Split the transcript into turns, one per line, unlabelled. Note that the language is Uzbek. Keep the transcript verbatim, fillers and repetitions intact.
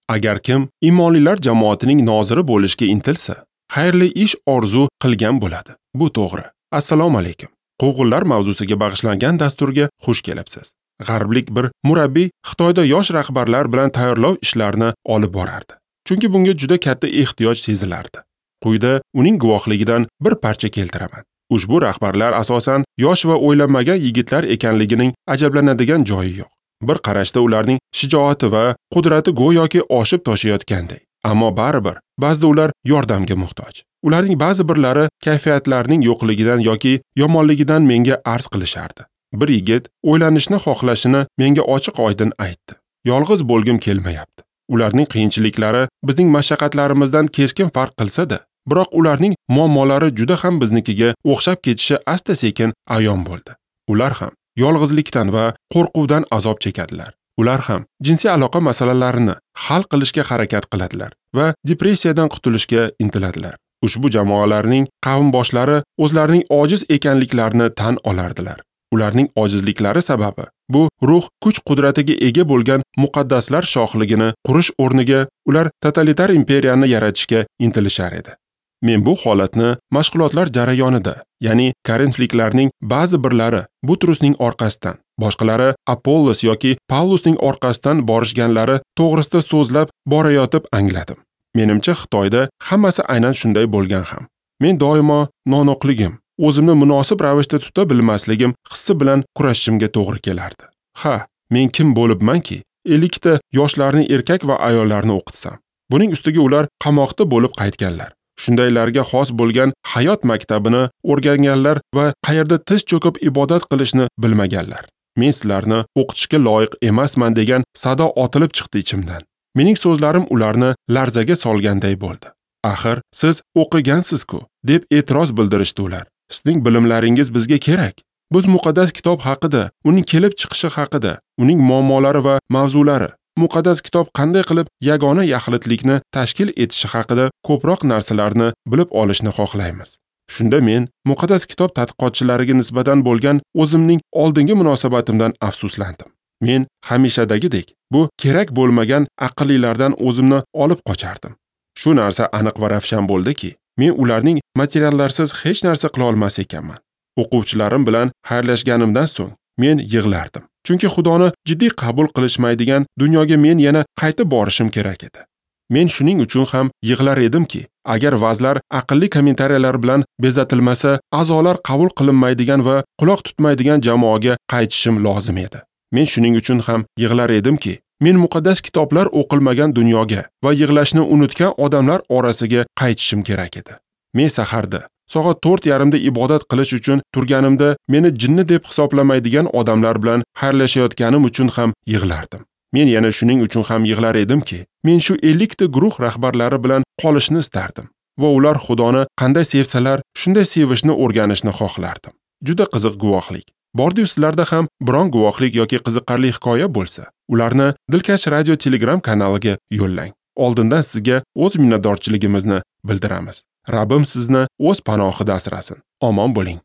Agar kim iymonlilar jamoatining noziri bo'lishga intilsa, xayrli ish orzu qilgan bo'ladi. Bu to'g'ri. Assalomu alaykum. Quvg'inlar mavzusiga bag'ishlangan dasturga xush kelibsiz. G'arblik bir murabbiy Xitoyda yosh rahbarlar bilan tayyorlov ishlarini olib borardi. Chunki bunga juda katta ehtiyoj sezilardi. Quyida uning guvohligidan bir parcha keltiraman. Ushbu rahbarlar asosan yosh va o'ylanmagan yigitlar ekanligining ajablanadigan joyi yo'q. Bir qarashda ularning shijoati va qudrati go'yoki oshib toshayotganday. Ammo baribir ba'zida ular yordamga muhtoj. Ularning ba'zi birlari kayfiyatlarining yo'qligidan yoki yomonligidan menga arz qilishardi. Bir yigit o'ylanishni xohlashini menga ochiq-oydin aytdi. Yolg'iz bo'lgim kelmayapti. Ularning qiyinchiliklari bizning mashaqqatlarimizdan keskin farq qilsa-da, biroq ularning muammolari juda ham biznikiga o'xshab ketishi asta-sekin ayon bo'ldi. Ular ham yolg'izlikdan va qo'rquvdan azob chekadilar. Ular ham jinsiy aloqa masalalarini hal qilishga harakat qiladilar va depressiyadan qutulishga intiladilar. Ushbu jamoalarning qavmboshlari o'zlarining ojiz ekanliklarini tan olardilar. Ularning ojizliklari sababi bu ruh kuch-qudratiga ega bo'lgan muqaddaslar shohligini qurish o'rniga ular totalitar imperiyani yaratishga intilishar edi. Men bu holatni mashg'ulotlar jarayonida, ya'ni korinfliklarning ba'zi birlari Butrusning orqasidan, boshqalari Apollos yoki Pavlusning orqasidan borishganlari to'g'risida so'zlab borayotib angladim. Menimcha Xitoyda hammasi aynan shunday bo'lgan ham. Men doimo nonoqligim, o'zimni munosib ravishda tuta bilmasligim hissi bilan kurashishimga to'g'ri kelardi. Ha, men kim bo'libmanki, ellikta yoshlarni erkak va ayollarni o'qitsam. Buning ustiga ular qamoqda bo'lib qaytganlar. Shundaylarga xos bo'lgan hayot maktabini o'rganganlar va qayerda tiz cho'kib ibodat qilishni bilmaganlar. Men sizlarni o'qitishga loyiq emasman degan sado otilib chiqdi ichimdan. Mening so'zlarim ularni larzaga solganday bo'ldi. Axir siz o'qigansiz-ku, deb e'tiroz bildirishdi ular. Sizning bilimlaringiz bizga kerak. Biz muqaddas kitob haqida, uning kelib chiqishi haqida, uning muammolari va mavzulari, muqaddas kitob qanday qilib yagona yaxlitlikni tashkil etishi haqida ko'proq narsalarni bilib olishni xohlaymiz. Shunda men muqaddas kitob tadqiqotchilariga nisbatan bo'lgan o'zimning oldingi munosabatimdan afsuslandim. Men hamishadagidek bu kerak bo'lmagan aqllilardan o'zimni olib qochardim. Shu narsa aniq va ravshan bo'ldiki, men ularning materiallarsiz hech narsa qila olmas ekanman. O'quvchilarim bilan xayrlashganimdan so'ng men yig'lardim. Chunki Xudoni jiddiy qabul qilishmaydigan dunyoga men yana qaytib borishim kerak edi. Men shuning uchun ham yig'lar edimki, agar vazlar aqlli kommentariyalar bilan bezatilmasa, a'zolar qabul qilinmaydigan va quloq tutmaydigan jamoaga qaytishim lozim edi. Men shuning uchun ham yig'lar edimki, men muqaddas kitoblar o'qilmagan dunyoga va yig'lashni unutgan odamlar orasiga qaytishim kerak edi. Men saharda soat to'rt yarimda ibodat qilish uchun turganimda meni jinni deb hisoblamaydigan odamlar bilan xayrlashayotganim uchun ham yig'lardim. Men yana shuning uchun ham yig'lar edimki, men shu ellikta guruh rahbarlari bilan qolishni istardim va ular Xudoni qanday sevsalar, shunday sevishni o'rganishni xohlardim. Juda qiziq guvohlik. Bordi-yu sizlarda ham biron guvohlik yoki qiziqarli hikoya bo'lsa, ularni Dilkash Radio Telegram kanaliga yo'llang. Oldindan sizga o'z minnatdorchiligimizni bildiramiz. Rabbim sizni o'z panohida asrasin. Omon bo'ling.